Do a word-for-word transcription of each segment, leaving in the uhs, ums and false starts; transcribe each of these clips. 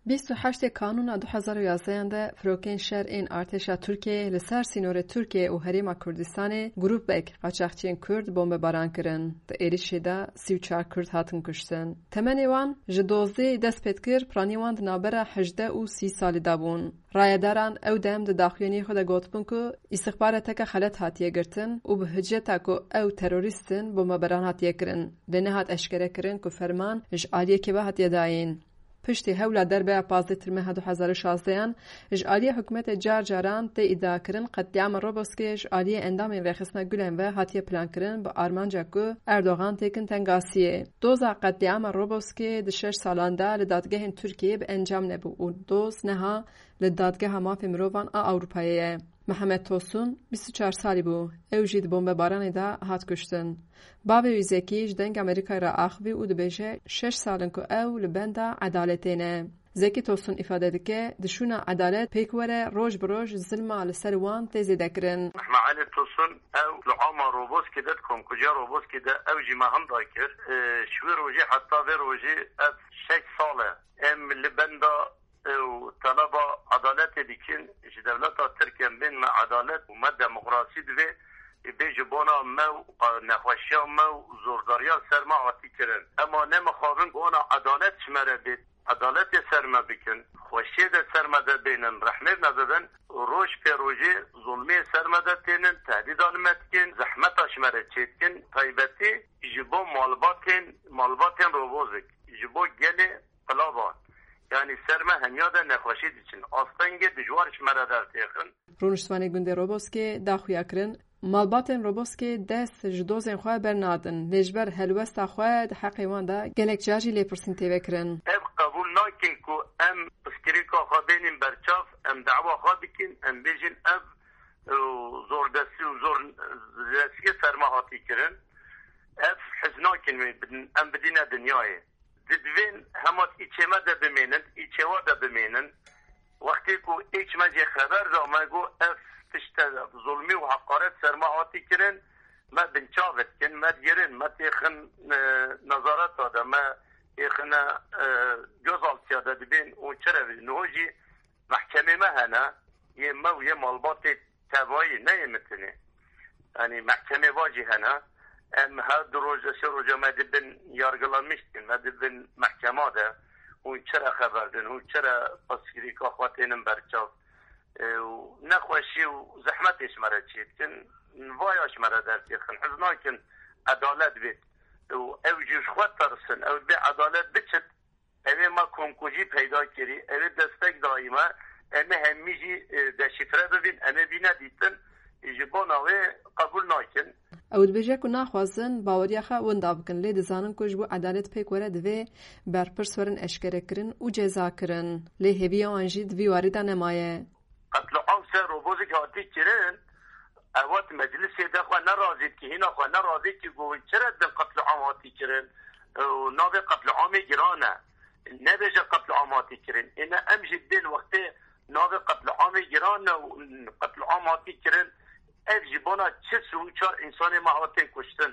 Bîst û heştê Kanûna du hezar û yazdehan de firokên şer ên artêşa Tirkiyeyê li ser sînorê Tirkiye û Herêma Kurdistanê grûpek qaçaxçiyên Kurd bombebaran kirin. Di êrişê de sî û çar Kurd hatin kuştin. Temenê wan ji dozdeh dest pê dikir, piranî wan di navbera hejdeh û sî salî de bûn. Rayedaran ew dem di daxuyaniyê xwe de gotibûn ku îstixbareteke xelet hatiye girtin û bi hiceta ku ew terorîst in, bombebaran hatiye kirin. Lê nehat eşkerekirin ku ferman ji aliyê kê ve hatiye dayîn. Piştî hewla derbeya pazdeh Tirmeha du hezar û şazdehan ji aliyê hikûmetê car caran tê îdiakirin, qetlîama Roboskê ji aliyê endamên Rêxistina Gulen ve hatiye plankirin, bi armanca ku Erdogan têkin tengasiyê. Doza qetlîama Roboskê di şeş salan de li dadgehên Tirkiyeyê bi encam nebû û doz neha li Dadgeha Mafê Mirovan a Ewropayê ye. Mihemed Tosun bîst û çar salî bû. Ew jî di bombebaranê de hat kuştin. Bavê wî Zekî ji Dengê Amerîkayê re axivî û dibêje, şeş sal in ku ew li benda edaletê ne. Zekî Tosun îfade dike, di şûna edalet pêk were, roj bi roj zilma li ser wan tê zêdekirin. Mehmet Elî Tosun, ew li ama Roboskê de, di komkujiya Roboskê de, ew jî me hemda kir. E, ji wê rojê heta vê rojê ev şeş sal e. Em li benda û teleba edaletê dikin, ji dewleta Tirk em bên me edalet û me demokrasî divê, bê ji bona me û nexweşiya me û zordariya ser me hatî kirin. Ema ne mixabin bona edalet ji me re bê, edaletê ser me bikin, xweşiyê de ser me de bênin, rehmê me bibin, roj pê rojê zulmê ser me de tênin, tehdîda li me dikin, zehmeta ji me re çêdikin, taybetî ji bo malbatên, malbatên Robozik, ji bo gelê Qilaba, yanî ser me hemiya de nexweşî diçin. Astengê dijwar ji me re dertêxin. Rûniştvanê gundê Roboskê da xuya kirin, malbatên Roboskê dest ji dozên xwe bernadin, lê ji ber helwesta xwe di heqê wan de gelek car jî lêpirsîn tê vekirin. Ev qebûl nakin ku em piskirêka xwe bênîn berçav, em dawa xwe bikin, em bêjin ev, e, zordestî û zor destiyê ser me hatî kirin. Ev hez nakin wê bidin, em bidîne dinyayê. Di divên hema di îçê me de bimênin, di îçê wa de bimênin. Wextê ku êç me jê xeber da, me got, ev tişt e, zulmî û heqaret ser me hatî kirin, me binçav dikin, me digirin, me têxin, e, nezareta de, me têxine, e, gözaltiya de dibên û çi re bê? Niho jî mehkemê me hene, yê me û yê malbatê tevayî, ne yê min tenê. Yanî mehkemê va jî hene. Em her du roja, sê roja me dibin yargılanmış dikin, me dibin mehkema de. Hûn çi re xeber din, hûn çi re pirsgirêka xwe tênin berçav? E, û nexweşî û zehmetê ji me re çê dikin, vaya ji me re dertêxin. Hez nakin edalet bêt. Û ew jî ji xwe tirsin, ew bê edalet biçit. Ew ê me komkujî peyda kirî, ew ê destek dayî me, em ê hemî jî, e, deşîfre bibîn, em ê bîne dîtin, ji bona wê qebûl nakin. Ew dibêje ku naxwazin baweriya xwe winda bikin, lê dizanin ku ji bo edalet pêk were divê berpirs werin eşkerekirin û cezakirin. Lê hêviya wan jî di vî warî de nemaye. Qetliam ser Robozik hatî kirin, ew hat meclisê de xwe nerazî dike, hîna xwe nerazî dike, got, çi re din qetliam hatî kirin? Û navê qetliamê giran e. Nebêje qetliam hatî kirin. Êne em jî dibên wextê navê qetliamê giran e û qetliam hatî kirin. Ev ji bona çi sî û çar însanê me hatin kuştin.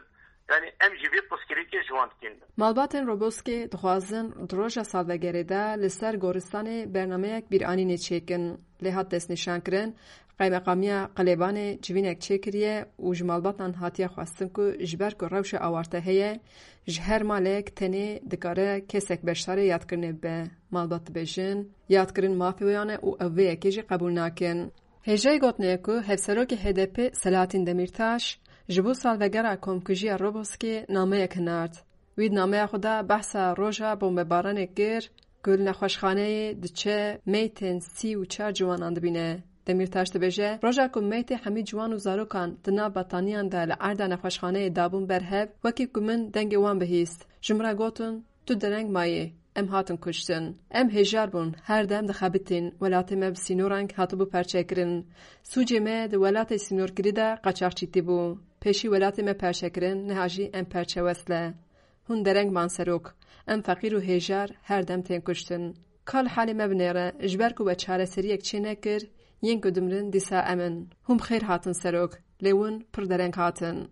Yanî em ji vî pirsgirêkê ji wan dikin. Malbatên Roboskê dixwazin di roja salvegerê de li ser goristanê bernameyek bîranînê çêkin. Lê hat destnîşankirin, Qeymeqamiya Qilêbanê civînek çêkiriye û ji malbatan hatiye xwestin ku ji ber ku rewşa awarte heye, ji her malek tenê dikare kesek beşdarê yadkirinê bibe. Malbat dibêjin, yadkirin mafê wan e û ew vê yekê jî qebûl nakin. Hêjayî gotinê ye ku Hevserokê H D P Selahattin Demirtaş ji bo salvegera komkujiya Roboskê nameyek hinart. Wî di nameya xwe de behsa roja bombebaranê kir ku li nexweşxaneyê diçe meytên sî û çar ciwanan dibîne. Demirtaş dibêje, roja ku meytê hemî ciwan û zarokan di nav betaniyan de li erda nexweşxaneyê dabûn ber hev, wekî ku min dengê wan bihîst. Ji min re gotin, tu dereng mayî, em hatin kuştin. Em hêjar bûn, her dem dixebitîn, welatê me bi sînoran hatibû perçekirin. Sûcê me di welatê sînorkirî de qaçaxçîtî bû. Pêşî welatê me perçekirin, niha jî em perçe wesle. Hûn dereng man serok. Em feqîr û hêjar her dem tên kuştin. Ka li halê me binêre, ji ber ku we çareseriyek çê nekir, yên ku dimirin dîsa em in. Hûn bi xêr hatin serok, lê hûn pir dereng hatin.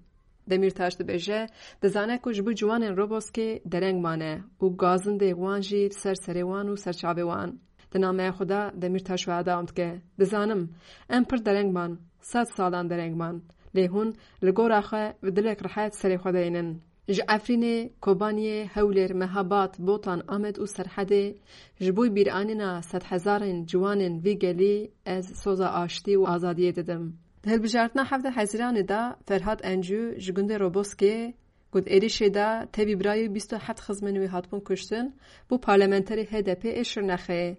Demîrtaş dibêje, dizane ku ji bo ciwanên Roboskê dereng mane û gazindê wan jî li ser serê wan û ser çavê wan. Di nameya xwe de Demîrtaş wiha dewam dike: Dizanim, em pir dereng man, sed salan dereng man. Lê hûn li gora xwe bi dilek rihet serê xwe deynin. Ji Efrînê, Kobaniyê, Hewlêr, Mehabad, Botan, Amed û Serhedê ji bo bîranîna sedhezarên ciwanên vî gelî ez soza aştî û azadiyê didim. Di hilbijartina hevdeh Hezîranê de Ferhat Encû ji gundê Roboskê, ku di êrişê de tevî birayê bîst û heft xizmên wî hatibûn kuştin, bû parlamenterê H D P ê Şirnexê.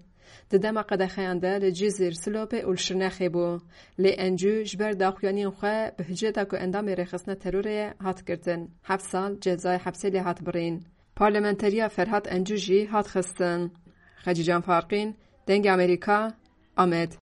Di dema qedexeyan de li Cizîr, Silopê û li Şirnexê bû. Lê Encû ji ber daxuyaniyên xwe bi hicreta ku endamê rêxistina terorê ye hat girtin, heft sal cezayê hepsê lê hat birîn. Parlamenteriya Ferhat Encû jî hat xistin. Xecîcan Farqîn, Dengê Amerîka, Amed.